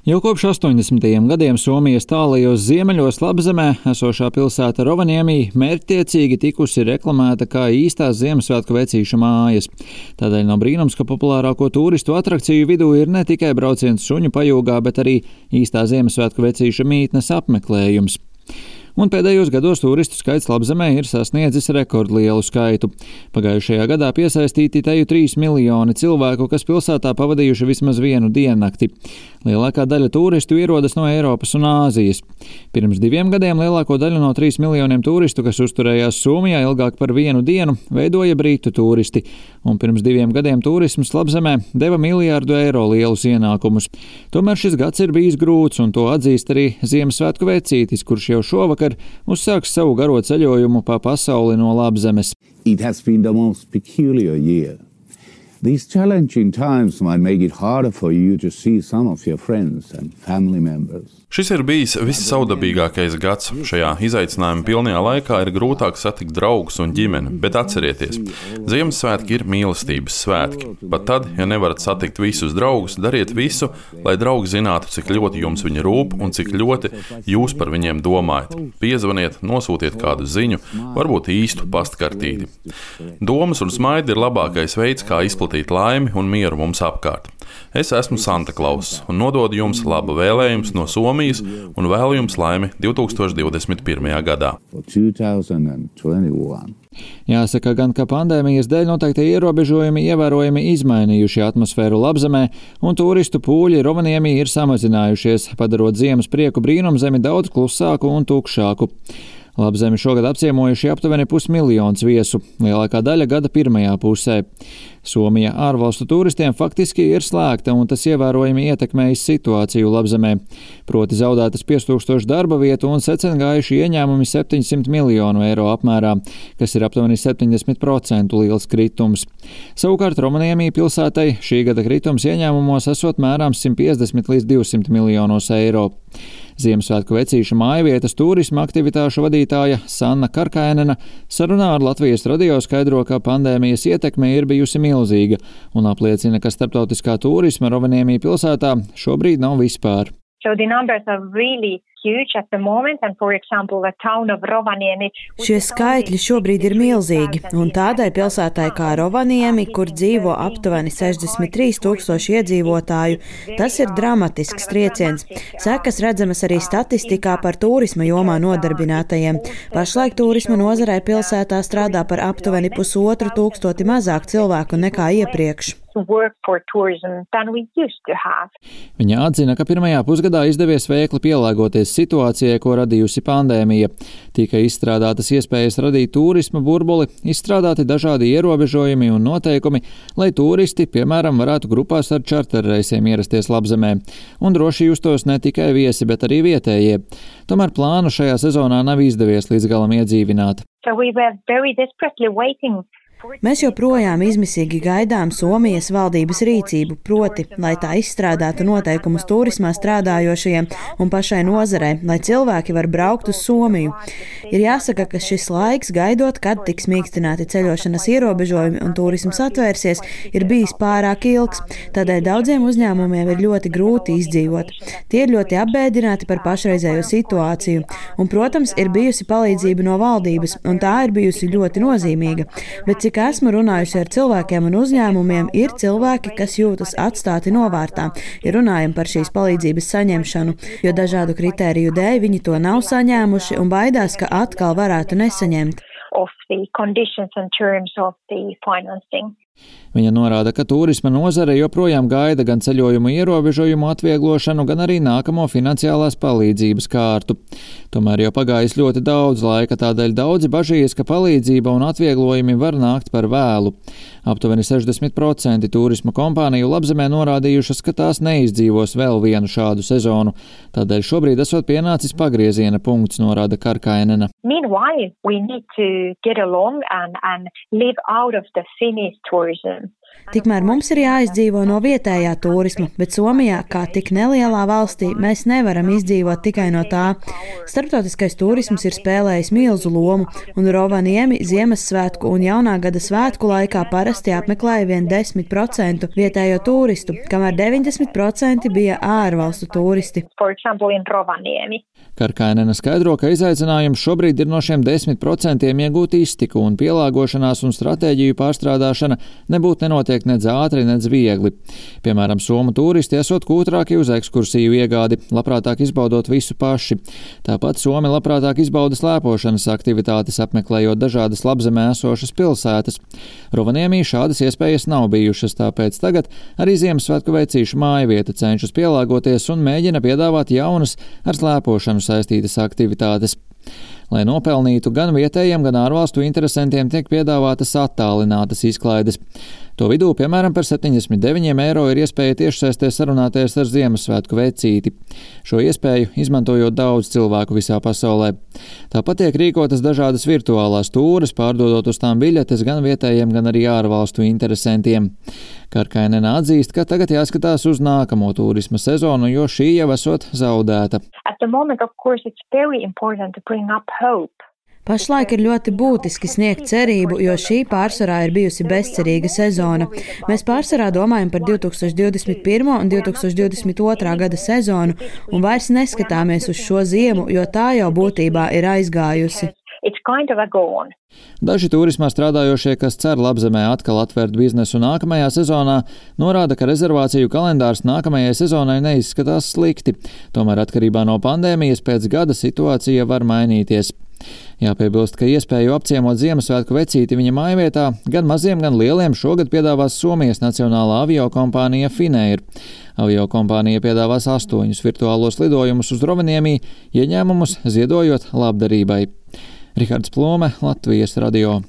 Jau kopš 80. gadiem Somijas tālajos ziemeļos Labzemē esošā pilsēta Rovaniemi mērķtiecīgi tikusi reklamēta kā īstās Ziemassvētku vecīša mājas. Tādēļ nav brīnums, ka populārāko turistu atrakciju vidū ir ne tikai brauciens suņu pajūgā, bet arī īstā Ziemassvētku vecīša mītnes apmeklējums. Un pēdējos gados turistu skaits Labzemē ir sasniedzis rekordlielu skaitu. Pagājušajā gadā piesaistīti teju 3 miljoni cilvēku, kas pilsētā pavadījuši vismaz vienu diennakti. Lielākā daļa turistu ierodas no Eiropas un Āzijas. Pirms 2 gadiem lielāko daļu no 3 miljoniem turistu, kas uzturējās Somijā ilgāk par vienu dienu, veidoja britu turisti. Un pirms 2 gadiem turisms Labzemē deva miljardu eiro lielus ienākumus. Tomēr šis gads ir bijis grūts, un to atzīst arī Ziemassvētku vecītis, kurš jau šovakar uzsāks savu garo ceļojumu pa pasauli no Labzemes. It has been the most peculiar year. These challenging times might make it harder for you to see some of your friends and family members. Šis ir bijis vissaudabīgākais gads. Šajā izaicinājuma pilnajā laikā ir grūtāk satikt draugus un ģimeni, bet atcerieties, Ziemassvētki ir mīlestības svētki. Pat tad, ja nevarat satikt visus draugus, dariet visu, lai draugi zinātu, cik ļoti jums viņi rūp un cik ļoti jūs par viņiem domājat. Piezvaniet, nosūtiet kādu ziņu, varbūt īstu pastkartīti. Domas un smaidi ir labākais veids, kā izplatīt laimi un mieru mums apkārt. Es esmu Santa Klauss un nododu jums labu vēlējumus no Somijas un vēlu jums laimi 2021. gadā. Jāsaka gan, ka pandēmijas dēļ noteikti ierobežojumi ievērojami izmainījuši atmosfēru Labzemē, un turistu pūļi Rovaniemi ir samazinājušies, padarot ziemas prieku brīnumzemi daudz klusāku un tukšāku. Labzemi šogad apciemojuši aptuveni 500 000 viesu, lielākā daļa gada pirmajā pusē. Somija ārvalstu turistiem faktiski ir slēgta, un tas ievērojami ietekmējis situāciju Labzemē. Proti zaudētas 5000 darba vietu un secengājuši ieņēmumi 700 miljonu eiro apmērā, kas ir aptuveni 70% liels kritums. Savukārt Rovaniemi pilsētai šī gada kritums ieņēmumos esot mērāms 150 līdz 200 miljonos eiro. Ziemassvētku vecīša mājvietas turisma aktivitāšu vadītāja Sanna Karkainena sarunā ar Latvijas radio skaidro, ka pandēmijas ietekme ir bijusi milzīga un apliecina, ka starptautiskā turisma Rovaniemi pilsētā šobrīd nav vispār. So the numbers are really huge at the moment, and for example, the town of Rovaniemi. Šie skaitļi šobrīd ir milzīgi, un tādai pilsētai kā Rovaniemi, kur dzīvo aptuveni 63 000 iedzīvotāju, tas ir dramatisks trieciens. Sekas redzamas arī statistikā par turisma jomā nodarbinātajiem. Pašlaik turisma nozarē pilsētā strādā par aptuveni 1500 mazāk cilvēku nekā iepriekš. Viņa atzina, ka pirmajā pusgadā izdevies veikli pielāgoties situācijai, ko radījusi pandēmija. Tika izstrādātas iespējas radīt turisma burbuli, izstrādāti dažādi ierobežojumi un noteikumi, lai turisti, piemēram, varētu grupās ar čarterreisiem ierasties Labzemē. Un droši justos ne tikai viesi, bet arī vietējie. Tomēr plānu šajā sezonā nav izdevies līdz galam iedzīvināt. Mēs joprojām izmisīgi gaidām Somijas valdības rīcību, proti, lai tā izstrādātu noteikumus turismā strādājošajiem un pašai nozarei, lai cilvēki var braukt uz Somiju. Ir jāsaka, ka šis laiks, gaidot, kad tiks mīkstināti ceļošanas ierobežojumi un turisms atvērsies, ir bijis pārāk ilgs, tādēļ daudziem uzņēmumiem ir ļoti grūti izdzīvot. Tie ir ļoti apbēdināti par pašreizējo situāciju, un, protams, ir bijusi palīdzība no valdības, un tā ir bijusi ļoti nozīmīga, bet cik esmu runājusi ar cilvēkiem un uzņēmumiem, ir cilvēki, kas jūtas atstāti novārtā, ja runājam par šīs palīdzības saņemšanu, jo dažādu kritēriju dēļ viņi to nav saņēmuši un baidās, ka atkal varētu nesaņemt. Viņa norāda, ka turisma nozare joprojām gaida gan ceļojumu ierobežojumu atvieglošanu, gan arī nākamo finansiālās palīdzības kārtu. Tomēr jau pagājis ļoti daudz laika, tādēļ daudzi bažījas, ka palīdzība un atvieglojumi var nākt par vēlu. Aptuveni 60% turisma kompāniju Labzemē norādījušas, ka tās neizdzīvos vēl vienu šādu sezonu. Tādēļ šobrīd esot pienācis pagrieziena punkts, norāda Karkainena. Meanwhile, we need to get along and live out of the Finnish tourism. Tikmēr mums ir jāizdzīvo no vietējā turisma, bet Somijā, kā tik nelielā valstī, mēs nevaram izdzīvot tikai no tā. Starptautiskais turisms ir spēlējis milzu lomu, un Rovaniemi Ziemassvētku un Jaunā gada svētku laikā parasti apmeklēja vien 10% vietējo turistu, kamēr 90% bija ārvalstu turisti. Karkainena skaidro, ka izaicinājums šobrīd ir no šiem 10% iegūt iztiku, un pielāgošanās un stratēģiju pārstrādāšana nebūtu nenotiek nedz ātri, nedz viegli. Piemēram, somu turisti esot kūtrāki uz ekskursiju iegādi, labprātāk izbaudot visu paši. Tāpat somi labprātāk izbauda slēpošanas aktivitātes, apmeklējot dažādas labzemē esošas pilsētas. Rovaniemī šādas iespējas nav bijušas, tāpēc tagad arī Ziemassvētku veicīšu mājvieta cenšas pielāgoties un mēģina piedāvāt jaunas ar slēpošanu saistītas aktivitātes. Lai nopelnītu gan vietējiem, gan ārvalstu interesantiem tiek piedāvātas attālinātas izklaides. To vidū, piemēram, par 79 eiro ir iespēja tiešsaistē sarunāties ar Ziemassvētku vecīti. Šo iespēju izmantojot daudz cilvēku visā pasaulē. Tāpat tiek rīkotas dažādas virtuālās tūres, pārdodot uz tām biļetes gan vietējiem, gan arī ārvalstu interesantiem. Karkainena atzīst, ka tagad jāskatās uz nākamo turisma sezonu, jo šī jau esot zaudēta. Pašlaik ir ļoti būtiski sniegt cerību, jo šī pārsvarā ir bijusi bezcerīga sezona. Mēs pārsvarā domājam par 2021. un 2022. gada sezonu un vairs neskatāmies uz šo ziemu, jo tā jau būtībā ir aizgājusi. Daži turismā strādājošie, kas cer labzemē atkal atvērt biznesu nākamajā sezonā, norāda, ka rezervāciju kalendārs nākamajai sezonai neizskatās slikti. Tomēr atkarībā no pandēmijas pēc gada situācija var mainīties. Jāpiebilst, ka iespēju apciemot Ziemassvētku vecīti viņa mājvietā gan maziem, gan lieliem šogad piedāvās Somijas nacionālā aviokompānija Finnair. Aviokompānija piedāvās 8 virtuālos lidojumus uz Rovaniemi, ieņēmumus ziedojot labdarībai. Rihards Plome, Latvijas radio.